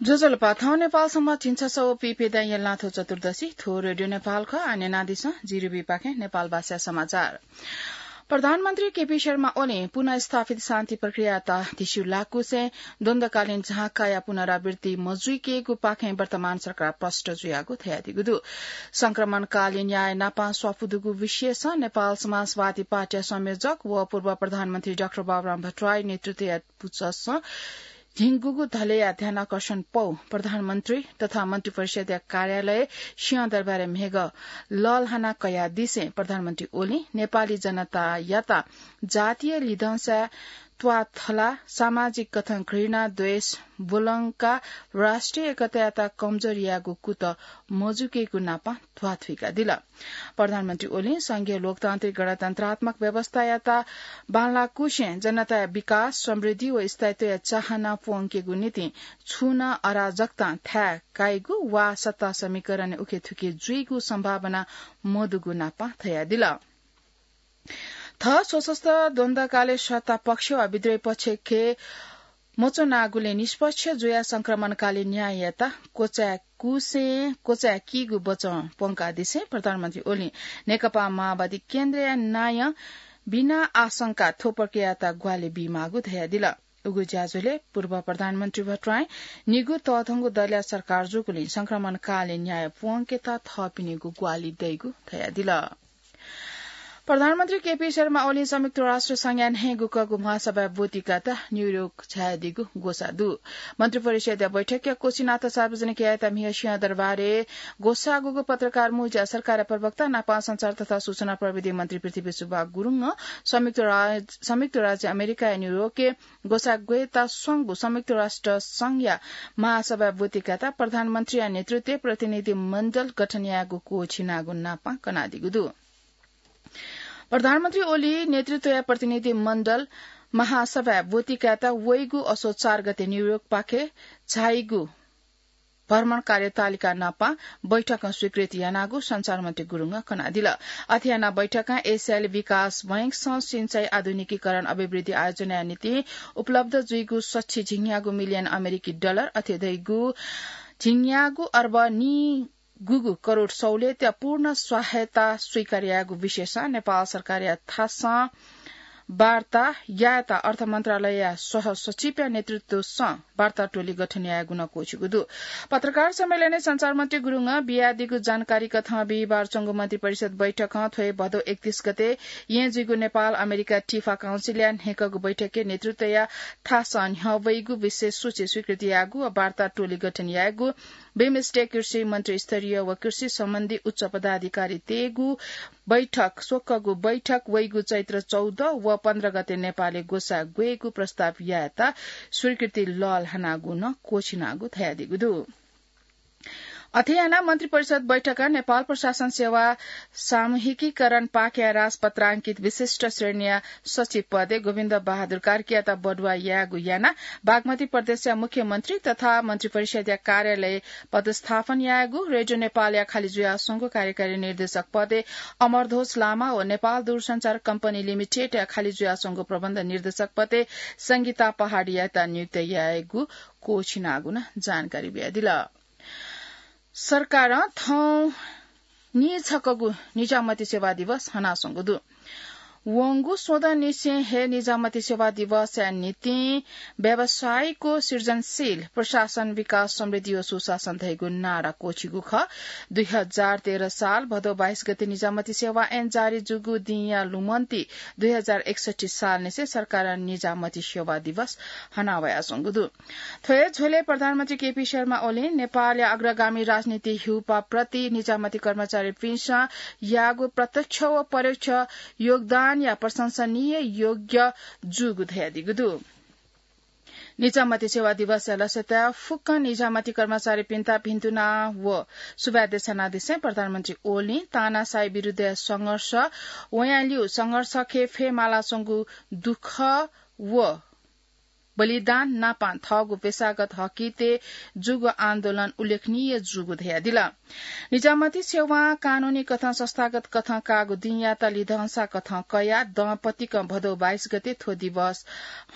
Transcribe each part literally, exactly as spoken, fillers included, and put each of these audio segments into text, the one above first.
ज्वजलपा, थौं नेपाल सम्बत झिंछसः व पीप्यदँया ल्हातय् चतुर्दशी। थ्व रेडियो नेपाल खः। आः न्यनादिसँ जिरिबीपाखें नेपाल भाषाय् समाचार। प्रधानमन्त्री केपी शर्मा ओलीं पुनर्स्थापित शान्ति प्रक्रियायात धिस्यू लाःगुसें द्वन्द्वकालीन झाँक्रीया पुनरावृत्ति मजुइकेगुपाखें वर्तमान सरकार प्रष्ट जुयागु धयादीगु दु। संक्रमणकालीन न्याय नापं स्वापू दुगु विषयसं नेपाल समाजवादी पार्टीया संयोजक व पूर्व प्रधानमन्त्री डाक्टर बाबुराम भट्टराई नेतृत्वया पुचःसं झिंगुगु धलेया ध्यानाकर्षण पौ प्रधानमन्त्री तथा मन्त्रिपरिषद्या कार्यालय सिंहदरबारय् म्हिगः लःल्हाना कयादिसें प्रधानमन्त्री ओलीं नेपाली जनतायात जातीय लिधंसाय् त्वाथला, सामाजिक कथं घृणा, द्वेष ब्वलंकाः राष्ट्रिय एकतायात कमजोर यायेगु कुतः मजुइकेगु नापं ध्वाथुइकादिल। प्रधानमन्त्री ओलीं संघीय लोकतान्त्रिक गणतन्त्रात्मक व्यवस्थायात बांलाःगुसें जनताया विकास, समृद्धि व स्थायित्वया चाहना प्वंकेगु निंतिं छुं नं अराजकतां थाय् काइगु वा सत्ता समीकरणय् उखेथुखे जुइगु सम्भावना मदुगु नापं धयादिल। थः सशस्त्र द्वन्द्वकालय् सत्ता पक्ष वा विद्रोही पक्षखे मच्वनागुलिं निष्पक्ष जुयाः संक्रमणकालीन न्याययात क्वचाय् कूसें क्वचाय् कीगु बचं प्वंकादिसें प्रधानमन्त्री ओलीं नेकपा माओवादी केन्द्रया नायं बिना आशंका थ्व प्रक्रियायात ग्वाहालि बीमाःगु धयादिल। उगु ज्याझ्वलय् पूर्व प्रधानमन्त्री भट्टराईं निगू तःधंगु दलया सरकार जूगुलिं संक्रमणकालीन न्याय प्वंकेत थःपिनिगु ग्वाहालि दइगु धयादिल। प्रधानमन्त्री केपी शर्मा ओलीं संयुक्त राष्ट्र संघया न्हय्‌गू कःगु महासभाय् ब्वति कायेत न्यूयोर्क झायादीगु ग्वसाः दु। मन्त्रिपरिषद्या बैठकया कोछि नाता सार्वजनिक यायेत म्हिगः सिंहदरबारय् ग्वसाःगु पत्रकार मुंज्यां सरकारया प्रवक्ता नापं सञ्चार तथा सूचना प्रविधि मन्त्री पृथ्वी सुब्बा गुरुङं संयुक्त राज-, संयुक्त राज्य अमेरिकाया न्यूयोर्कय् ग्वसाः ग्वयेत स्वंगु संयुक्त राष्ट्र संघया महासभाय् ब्वति कायेत प्रधानमन्त्रीया नेतृत्वय् प्रतिनिधि मण्डल गठन यायेगु क्वःछिनागु नापं कनादीगु दु। प्रधानमन्त्री ओली नेतृत्वया प्रतिनिधि मण्डल महासभाय् ब्वति कायेत वइगु असोज चार गते न्यूयोर्कपाखे झाइगु भ्रमण कार्यतालिका नापं बैठकं स्वीकृति यानागु सञ्चार मन्त्री गुरुङं कनादिल। अथे यानाः बैठकं एसियाली विकास बैंकसं सिँचाइ आधुनिकीकरण अभिवृद्धि आयोजनाया निंतिं उपलब्ध जुइगु सछि झिंन्यागू मिलियन अमेरिकी डलर अथे धइगु झिंन्यागू अर्ब नीगुगु करोड सहुलियतया पूर्ण सहायता स्वीकार यायेगु विषयसं नेपाल सरकारया थासं वार्ता यायेत अर्थ मन्त्रालयया सहसचिवया नेतृत्वसं वार्ता टोली गठन यायेगु नं क्वःछिगु दु। पत्रकार सम्मेलनय् सञ्चार मन्त्री गुरुङं बियादीगु जानकारी कथं बिहिबार च्वंगु मन्त्रिपरिषद बैठकं थ्व हे भदौ एकतीस गते येँ जुइगु नेपाल अमेरिका टिफा काउन्सिलया न्हय्‌कःगु बैठकय् नेतृत्वया थासं न्ह्यः वइगु विशेष सूची स्वीकृति याःगु व वार्ता टोली गठन याःगु बिमस्टेक कृषि मन्त्रीस्तरीय व कृषि सम्बन्धी उच्च पदाधिकारीतय्‌गु बैठक, स्वक्वःगु बैठक वइगु चैत्र चौध व पन्ध्र गते नेपालय् ग्वसाः ग्वयेगु प्रस्ताव यायेत स्वीकृति लःल्हानागु नं क्वःछिनागु धयादीगु दु। अथे यानाः मन्त्रिपरिषद बैठकं नेपाल प्रशासन सेवा सामूहिकीकरण पाखेया राजपत्रांकित विशिष्ट श्रेणीया सचिव पदय् गोविन्द बहादुर कार्कीयात बढुवा यायेगु यानाः बागमती प्रदेशया मुख्यमन्त्री तथा मन्त्रिपरिषदया कार्यालय पदस्थापन यायेगु, रेडियो नेपालया खालि जुयाच्वंगु कार्यकारी निर्देशक पदय् अमरध्वज लामा व नेपाल दूरसञ्चार कम्पनी लिमिटेडया खालि जुयाच्वंगु प्रबन्ध निर्देशक पदय् संगीता पहाडीयात नियुक्त यायेगु क्वःछिनागु नं जानकारी बियादिल। सरकारं थौं नीछकःगु निजामती सेवा दिवस हनाच्वंगु दु। वंगु स्वदँनिसें हे निजामती सेवा दिवसया निंतिं व्यावसायिक व सृजनशील प्रशासन विकास समृद्धि व सुशासन धइगु नारा क्वःछिगु खः। दुई हजार तेह्र साल भदौ बाइस गते निजामती सेवा ऐन जारी जूगु दिंया लुमन्ति दुई हजार एकसट्ठी सालनिसें सरकारं निजामती सेवा दिवस हनावयाच्वंगु दु। थ्व हे झ्वलय् प्रधानमन्त्री केपी शर्मा ओलीं नेपालया अग्रगामी राजनीति ह्यूपाः प्रति निजामती कर्मचारीपिन्सं याःगु प्रत्यक्ष व परोक्ष योगदानया प्रशंसनीय योग्य जूगु धयादीगु दु। निजामती सेवा दिवसया लसताय् फुक्क निजामती कर्मचारीपिन्त भिन्तुना व सुभाय् देछानादिसें प्रधानमन्त्री ओलीं तानाशाही विरुद्धया संघर्ष, वयां लिउ संघर्षखे फयेमालाच्वंगु दुःख व बलिदान नापां थःगु पेशागत हकितय् जूगु आन्दोलन उल्लेखनीय जूगु धयादिल। निजामती सेवां कानूनी कथं संस्थागत कथं काःगु दिंयात लिधंसा कथं कयाः दँपतिकं भदौ बाइस गते थ्व दिवस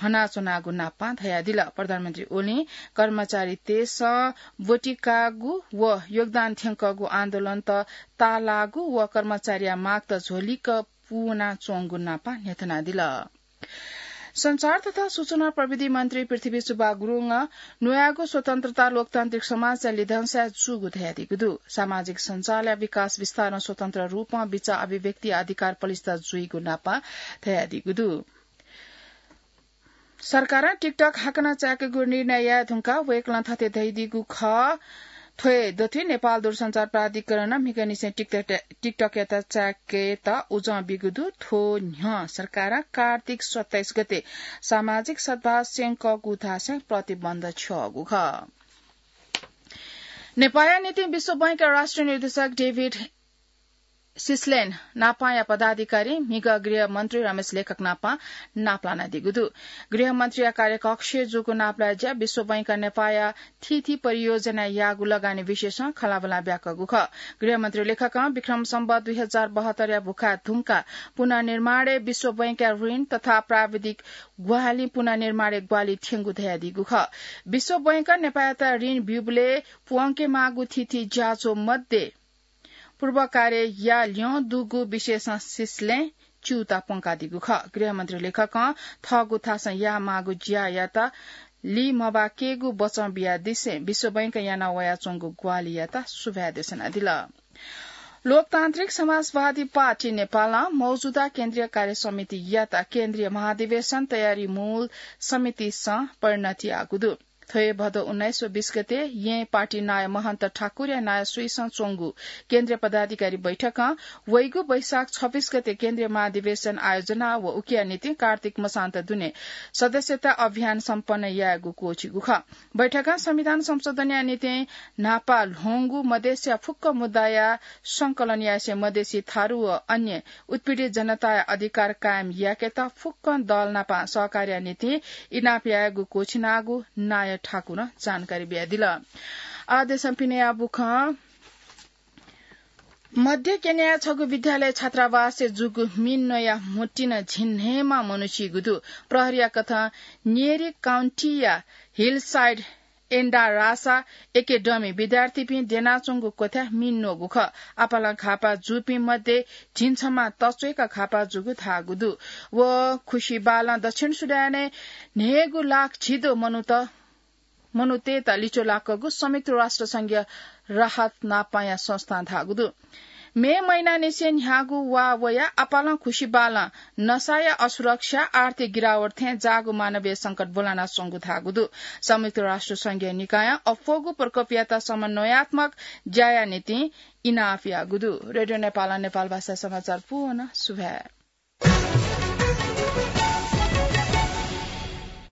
हनाच्वनागु नापां धयादिल। प्रधानमन्त्री ओलीं कर्मचारीतय्सं ब्वति काःगु व योगदान थ्यंकःगु आन्दोलनत ताःलाःगु व कर्मचारीया मागत झ्वलिक पूवनाच्वंगु नापां न्ह्यथनादिल। सञ्चार तथा सूचना प्रविधि मन्त्री पृथ्वी सुब्बा गुरुङं न्वयागु स्वतन्त्रता लोकतान्त्रिक समाजया लिधंसाय् जूगु धयादीगु दु। सामाजिक सञ्जालया विकास विस्तारं स्वतन्त्र रूपं बिचाः अभिव्यक्ति अधिकार पलिस्था जुइगु नापां धयादीगु दु। सरकारं TikTok हाकनं चाय्केगु निर्णय याये धुंकाः वय्कलं थथे धयादीगु खः, थ्व दथुइ नेपाल दूरसञ्चार प्राधिकरणं म्हिगःनिसें TikTok, TikTok-यात चाय्केत उजं बीगु दु। थ्व न्ह्यः सरकारं कार्तिक सत्ताइस गते सामाजिक सद्भाव स्यंकःगु धासें प्रतिबन्ध छ्यःगु खः। नेपाःया निंतिं विश्व बैंकया राष्ट्रिय निर्देशक डेभिड सिस्लेन नापांया पदाधिकारी म्हिगः गृह मन्त्री रमेश लेखक नापां नापलानादीगु दु। गृह मन्त्रीया कार्यकक्षय् जूगु नापलाये ज्या विश्व बैंकं नेपाःया थीथी परियोजनाय् याःगु लगानी विषयसं खँल्हाबल्हा ब्याकःगु खः। गृह मन्त्री लेखकं विक्रम सम्वत दुई हजार बहत्तरया भुखाय् धुंकाः पुनर्निर्माणय् विश्व बैंकया ऋण तथा प्राविधिक ग्वाहालिं पुनर्निर्माणय् ग्वाहालि थ्यंगु धयादीगु खः। विश्व बैंकं नेपाःयात ऋण ब्यूबलय् प्वंकेमाःगु थीथी ज्याझ्वः मध्ये पूर्व कार्य याः ल्यं दुगु विषयसं सिस्लें च्यूताः प्वंकादीगु खः। गृहमन्त्री लेखकं थःगु थासं यायेमाःगु ज्यायात लिमबाकेगु बचं बियादिसें विश्व बैंकं याना वयाच्वंगु ग्वाहालियात सुभाय् देछानादिल। लोकतान्त्रिक समाजवादी पार्टी नेपालं मौजूदा केन्द्रीय कार्य समितियात केन्द्रीय महाधिवेशन तयारी मूल समितिसं परिणत याःगु दु। थ्व हे भदौ उन्नाइस व बीस गते येँ पार्टी नायः महन्त ठाकुरया नायःसुइसं च्वंगु केन्द्रीय पदाधिकारी बैठकं वइगु वैशाख छब्बीस गते केन्द्रीय महाधिवेशन आयोजना व उकिया निंतिं कार्तिक मसान्त दुने सदस्यता अभियान सम्पन्न यायेगु क्वःछिगु खः। बैठकं संविधान संशोधनया निंतिं न्हापा ल्ह्वंगु मधेसया फुक्क मुद्दाया संकलन यासें मधेसी थारु व अन्य उत्पीडित जनताया अधिकार कायम याकेत फुक्कं दल नापं सहकार्या निंतिं इनाप यायेगु क्वःछिनागु नायः ठाकुरं जानकारी बियादिल। आः देशं पिनेया बुखँ। मध्य केन्याया छगू विद्यालय छात्रावासय् जूगु मिन न्वया म्हुतिन झिंन्हय्मा मनू सीगु दु। प्रहरीया कथं न्येरी काउन्टीया हिलसाइड एन्डारासा एकेडमी विद्यार्थीपिं द्यनाच्वंगु क्वथाय् मिन न्वःगु खः। आपालं घाःपाः जूपिं मध्ये झिंछम्हा तच्वय्का घाःपाः जूगु धाःगु दु। व खुसिबालं दक्षिण सुडानय् न्हय्गू लाख झिद्वः मनूत, मनूतय्त लिच्वः लाकःगु संयुक्त राष्ट्र संघीय राहत नापांया संस्थां धाःगु दु। मे महिनानिसें न्ह्यागु वा वयाः आपालं खुसिबालं नसाया असुरक्षा, आर्थिक गिरावट थें जाःगु मानवीय संकट ब्वलानाच्वंगु धाःगु दु। संयुक्त राष्ट्र संघीय निकायं अप्वःगु प्रकोपयात समन्वयात्मक ज्याया निंतिं इनाप याःगु दु। रेडियो नेपालं नेपाल भाषा समाचार पूवं सुभाय्।